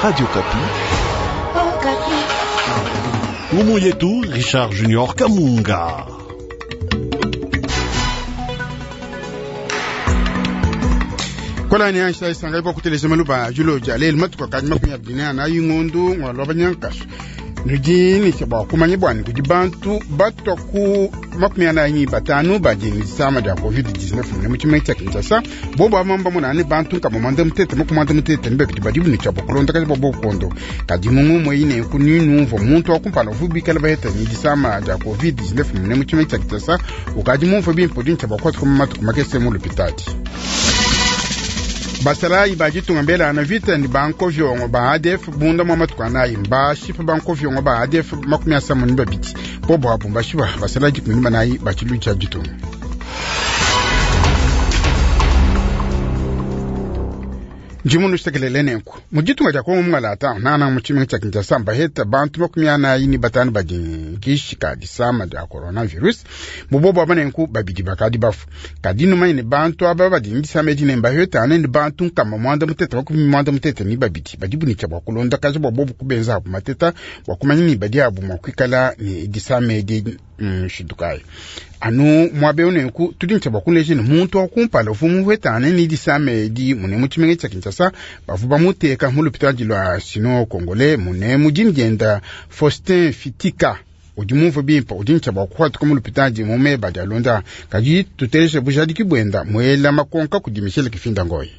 Radio Okapi. Ngumu yetu Richard Junior Kamunga. Kolani ansha isanga ipo kuteleza maluba julo jalel matuka kanyuma kunya bina na yingundu ngwalwa banyankaso nudi ni bwa kumanya bwani kudi bantu batwa ku 45 badi ni disama dia covid-19 mune mu tshimenga tshia Kinshasa. Bobo abamba munani bantu nkama mwanda mutete makumwanda mutete ni babidi badi buni tshia bukulonda kazi bwa bokondo kadi mungu mwe ku ninumva muntu wa kumpala uvu bikala baheta ni disama dia covid-19 mune mu tshimenga tshia Kinshasa ukadi mumva bimpe udi tshia bakwata ku matuku makese mu lupitadi. Basalayi bajitunga mbele ana vita ni banko vyongo ba ADF bunda mwa matuka nayi mbashipa banko vyongo ba ADF 32 bobo apo mbashipa basalayi 14 bachilu cha jitunga. Njimunu shitekelele nenku mujitunga ja Kongo mungalata nana mu tshimenga tshia Kinshasa mbaheta bantu 45 badi kishika disama dia coronavirus mubobo aba nenku babidi bakadi bafu kadi numanye bantu aba badi disama edi ne mbaheta ane ni bantu nkama 182 badi bunica bua kulonda kaji bua bobu kubenza abu mateta bua kumanya ni badi abu mua kuikala ni disama edi nshindukayi anu muabe nenku tudi ntsha bua kuleja ne muntu wa kumpala uvu muhwetane ni disama edi mune mu tshimenga tshia Kinshasa bavu bamuteka mu lupitadi lua sino congolais mune mudini dienda Faustin Fitika udi mumve bimpe udi ntsha bua kuhatuka mu lupitadi mu meba dia londa kadi tuteleje bujadiki buenda muela makonka kudi Michel Kifinda Ngoyi.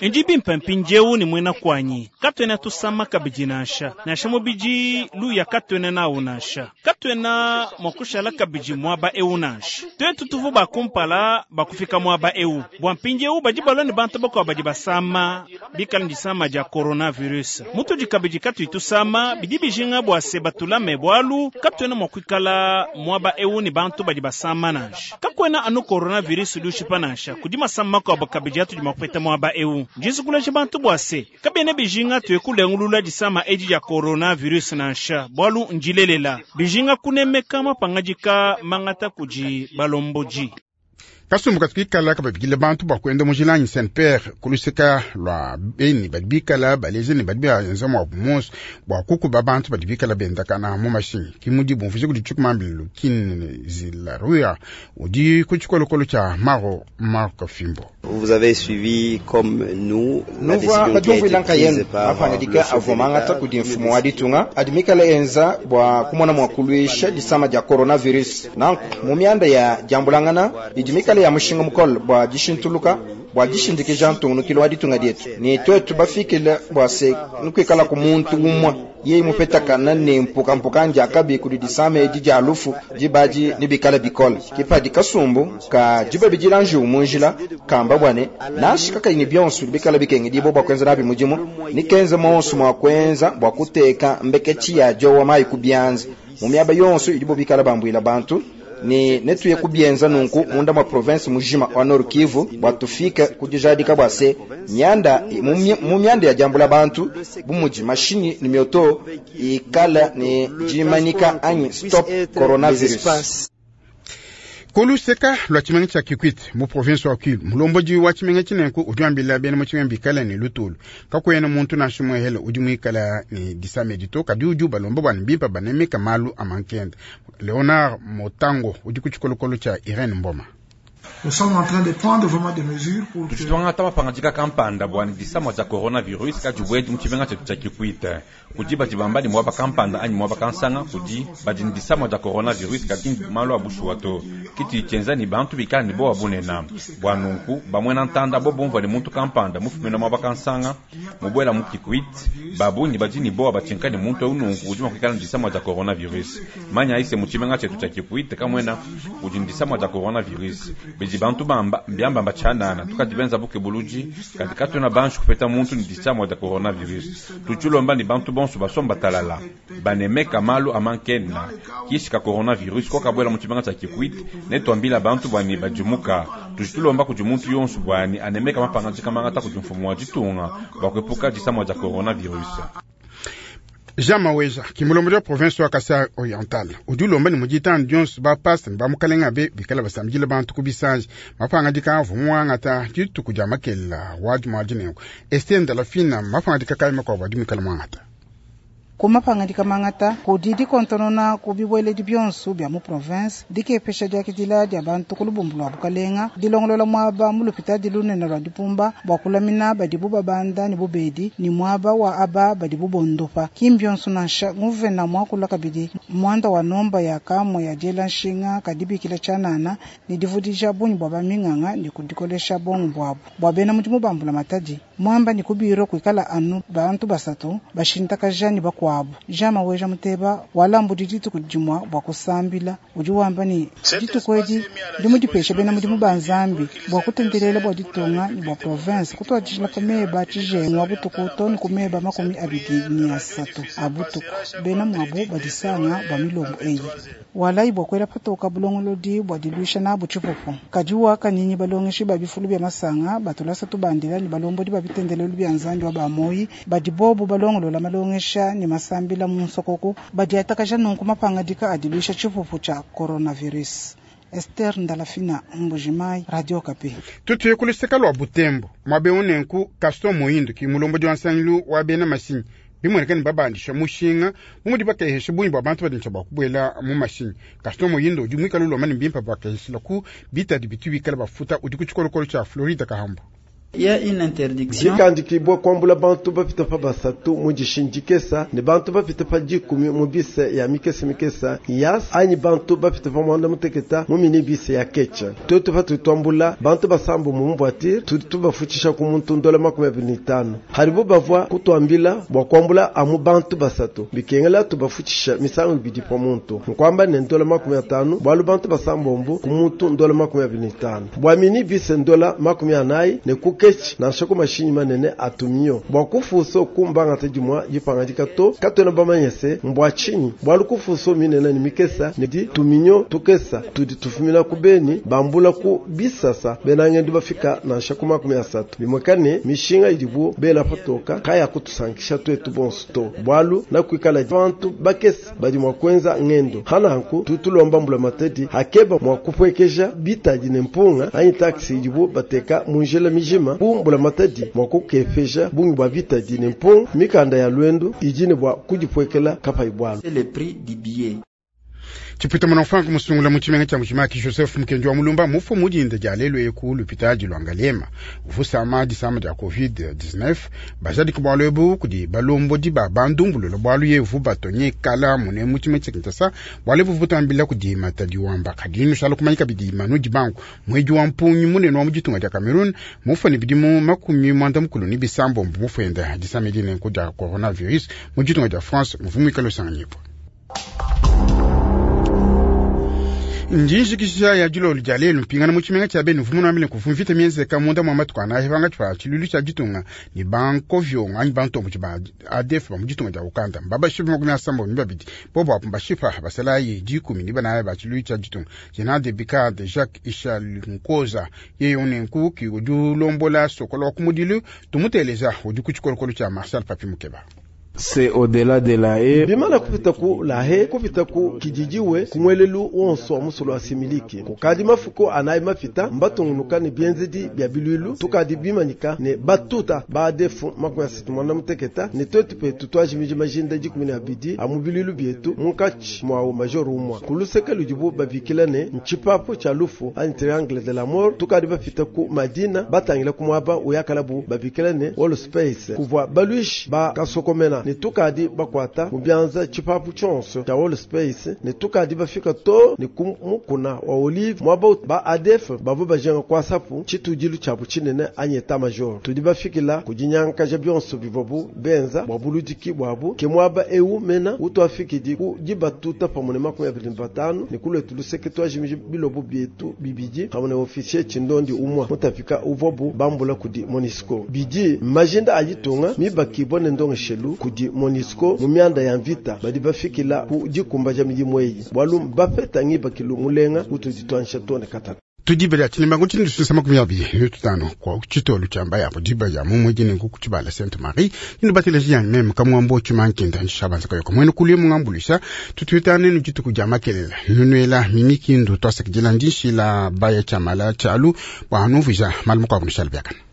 Ndi bimpe mpindieu ni mwena kwanyi katwena tusama kabidi nansha nansha mubidi luya katwena nawu nansha katwena mwakushala kabidi mwaba eu nansha twetu tuvu bakumpala bakufika mwaba eu bwa mpindieu badi balwa ni bantu bakwa badi basama bikala ndisama dia coronavirus mutudi kabidi katui tusama bidi bijinga bua se batulame bwalu katwena mwakuikala mwaba eu ni bantu badi basama nansha kakwena anu coronavirus udi ushipa nansha kudi masama makuabu kabidi atudi mwakupeta mwaba eu njisukulaje bantu bua se kabene bijinga tuye kulengulula disama edi dia coronavirus nansha bwalu njilelela bijinga kunemeka mapangadika mangata kudi balomboji. Kasumbu katuikala kababikile bantu bua kuenda mujilanyi Saint Pierre kuluseka lua beni badi bikala baleze ne badi baenza mua bumonso bua kukuba bantu badi bikala bendakana mu mashinyi kimudi bumvuje kudi tshikumambilu Kinzilaruya udi ku tshikolokolo tshia Maro Marc Fimbo. Vous avez suivi comme nous la Nuvua décision qui a été badiumvuila prise nkayenu par mapangadika le chef de avua mangata l'État. kudi mfumu wa ditunga adi mikala enza bua kumona mua kuluisha disama dia coronavirus nanku mu mianda ya diambulangana idi mikala ya mushinga mukole bua dishintuluka bua dishindikija ntungunukilo wa ditunga dietu ni twetu bafikile bua se nukuikala ku muntu umwe yeye mupetakana ne mpukampuka ndiakabi kudi disama edi dia lufu dibadi nibikala bikole kipadi kasumbu ka dibabidila njiwu munjila kamba bwane nansha kakayi ni bionso bikala bikengedibo bua kuenza nabi mudimu nikenze monso mua kuenza bua kuteka mbeketshi ya diowa mayi ku bianza mu miaba yonso idibo bikala bambuila bantu ni netuye kubienza nunku munda mwa province mujima wa Nord Kivu bua tufike kudijadika bua se myanda mu myanda ya diambula bantu bumudi mashinyi ni mioto ikala ni jimanika anyi stop coronavirus. Kuluseka lua tshimenga tshia Kikwit mu province wa Kwilu mulombodi wa tshimenga tshinenku udi wambila bena mu tshimenga bikala ne lutulu kakuena muntu nansha muehele udi muikala ne disama edi to kadi udi ubalomba bua ne bimpe banemeka malu a mankenda. Leonard Motango udi ku tshikolokolo tshia Irene Mboma. Nous sommes en train de prendre vraiment des mesures pour que Tuchitwangata mapangadika kampanda bua ne disama dia coronavirus kadibwedi mu tshimenga tshietu tshia Kikwit kudi badi bamba ne muaba kampanda anyi muaba kansanga kudi badi ne disama dia coronavirus kadi malu a bushuwa to kiti tshienza ni bantu bikala ne bowa bunena bua nunku bamwena ntanda bo bumvua ne muntu kampanda mufumina muaba kansanga mubuela mu Kikwit babunyi badi ne bowa batshinka ne muntu eu nunku udi mua kuikala ne disama dia coronavirus manya aise mu tshimenga tshietu tshia Kikwit kamwena udi ne disama dia coronavirus bidi bantu bamba mbiambamba tshianana tukadi benza buke buludi kadi katuna banshi kupeta muntu ne disama dia coronavirus tutshilomba ni bantu bonso basomba talala banemeka malu amankena kishi ka coronavirus kokabwela mu tshimenga tshia Kikwit netwambila bantu bwani badimuka tushitulomba kudi muntu yonso bwani anemeka mapangadika mangata kudi mfumu wa ditunga bua kuepuka disama dia coronavirus. Jean Maweja ki mulombodi wa province wa Kasai Oriental udi ulomba ne mu ditanu dionso ba pasta ne ba mukalenga be bikala basambidila bantu ku bisanji. Mapangadika avua muangata dituku dia makelela wa dimua dinenku. Esther Ndalafina, mapangadika kayi makuabu adi muikala muangata? Ku mapangadika mangata kudi dikontonona ku bibueledi bionso bia mu province, dikepesha diakidila dia bantu ku lubumbu lua bukalenga, dilongolola muaba mu lupitadi lunene lua dipumba bua kulamina badibu babanda ne bubedi ne muaba wa aba badibu bondopa. Ki mbionso nansha, nguvena muakula kabidi muanda wa nomba ya kamue ya diela nshinga ka dibikila tshianana ne divudija bungi bua ba minganga ne kudikolesha bongo buabu. Bua bena mudimu ba mbula matadi, muamba ne ku bureau kuikala anu bantu basatu bashintakaja ne bakuabu. Jean Maweja Muteba walambudi dituku dimua bua kusambila udi wamba ne dituku edi ndi mudipesha bena mudimu ba Nzambi bua kutendelela bua ditunga ne bua province kutuadijila pa meba tshijengu wa butuku to ne ku meba 23 a butuku bena muabu badisanga bua milombo eyi. Walayi bua kuela patoka bulongolodi bua diluisha nabu tshipupu. Kadi wakanyinyi balongeshi ba bifulu bia masanga batulasa tubandila ne balombodi ba bitendelelu bia Nzambi wa ba moyi badi bobu balongolola malongesha ne masambila mu nsokoku badiatakaja nunku mapangadika a diluisha tshipupu tshia coronavirus. Esther Ndalafina, Mbujimayi, Radio Okapi. Tutuye ku luseka lua Butembo muaba eu nenku Gaston Moindo ki mulombodi wa nsangilu wa bena mashinyi bimueneka ne babandisha mushinga bu mudi bakehesha bungi bua bantu badi bua kubuela mu mashinyi. Gaston Moindo udi muikale ulomba ne bimpe bakeheshela ku bitadi bitu bikale bafuta udi ku tshikolokolo tshia Florida Kahambu. Dikandikibua kuambula bantu bapita pa basatu mu dishindikesa ne bantu bapita pa 10 mu bise ya mikese mikesa yas anyi bantu bapita pa mwanda muteketa mu mini bise ya kecha. Tuetu patu tuambula bantu basambu mu voiture tudi tubafutshisha ku muntu ndola 25. Haribo bavua kutuambila bua kuambula amu bantu basatu bikengela tubafutshisha misangu ibidi pa muntu nkwamba ne ndola 50 bualu bantu basambombu ku muntu ndola 25 bua mini bise ndola 40 ne kukechi nansha ku mashinyi manene atumio bua kufuso kumbanga tedimwa dipangadika to katwena bamanyese mbwa chinyi bualu kufuso minene ne mikesa ne di tuminyo tukesa tudi tufumina ku beni bambula ku bisasa benangendu bafika nansha ku 30 bimwekane mishinga idibu bela patoka kaya kutusankisha twetu bonso to bualu nakuikala bantu bakesa badi mwa kwenza ngendo hananku tutulomba mbula matedi hakeba mwa kupwekeja bitadi ne mpunga anyi taxi idibu bateka munjela mijima bumbula matadi mwa kukefeja bungi bwa bitadi ne mpunga mikanda ya lwendu ijine bwa kujipwekela kapai bwalu. C'est le prix du billet. Chipwita mwana musungula mu tshimenga tshia Mbujimayi Joseph Mukendi wa Mulumba mufu mudinda dia lelu eku lupitadi lwa Ngaliema uvusama disama dia COVID-19 bajadika bualu ebu kudi balombodi ba bandumbulula bualu yevu batonye kala mune mu tshimenga tshia Kinshasa bualu ebu butambila kudi matadi wamba kadi nushala kumanyika bidi manu dibangu mwedi wa mpunyi munene wa mu ditunga dia Cameroon mufu ne bidimu 37 mufu disama edi nenku dia coronavirus mu ditunga dia France muvu muikale usanganyipo. Njinjikisha ya dilolo dia lelu mpingana mu tshimenga tshia benu vumuna ambile kuvumvita mienzeka munda mwa matuku anahi vanga tshwa tshilulu tshia ditunga ni banko vyongo anyi bantombo ba ADF ba mu ditunga dia Uganda mbabashipa 72 bobo apo mbashipa basalayi 10 ni banayi ba tshilulu tshia ditunga General de brigade Jacques Ishal Nkoza yeye unenku ki udi ulombola sokolo wa kumudilu tumuteleza udi ku tshikolokolo tshia Marcel Papi Mukeba. C'est au-delà de la haie. Bimana kupita ku la haie, kupita ku kijijiwe, kumwelelu wonso wa musolo wa similiki. Kukadi mafuko anayi mafita, mbatungunuka ne bienzedi bia bilwilu, tukadi bimanyika ne batuta ba ADF 68 ne twetu petu twajimiji majinda 12 amu bilwilu bietu munkatshi mwawo major umwa. Kuluseke ludibu babikila ne nchipapo cha lufu anyi triangle de la mort, tukadi bafita ku Madina batangila kumwaba uyakalabu babikila ne wall space kuvwa balwishi ba kasokomena ne tukadi bakwata mu byanza tshipapu tshionso tshia wall space ne tukadi bafika to ne kumukuna wa olive mwaba ba ADF bavua bajenga kwasapu tshitudilu tshiabu tshinene anyi état major tudi bafikila kudinyankaja bionso bivuabu benza bua buludiki buabu ke mwaba eu mena utwafikidi ku dibatuta pamue ne 25 ne kulwetu luseke twajimiji bilobo bietu bibidi pamue ne officier tshindondi umwa mutafika uvuabu bambula kudi MONUSCO bidi majinda ayitunga mibakibwa ne ndongeshelu kudi MONUSCO mu mianda ya mvita badi bafikila ku dikumbaja midimu eyi bwalu bapeta ngibakilu mulenga utudi twansha tone katatu. Tudi bela tshilimba ku tshindu tshisama ku miabi ne tutano kwa tshitolu tshiamba yapo diba ya mumwe jini ku tshibala Sainte Marie inu bateleji ya meme kamwambo tshimankinda nshabanza kayo mwene kulie mungambulisha tutwitane nu dituku dia makelela nunuela mimikindu twasakidila ndinshila baya tshamala tshalu bwa hanuvuja malu makuabu nushala biakana.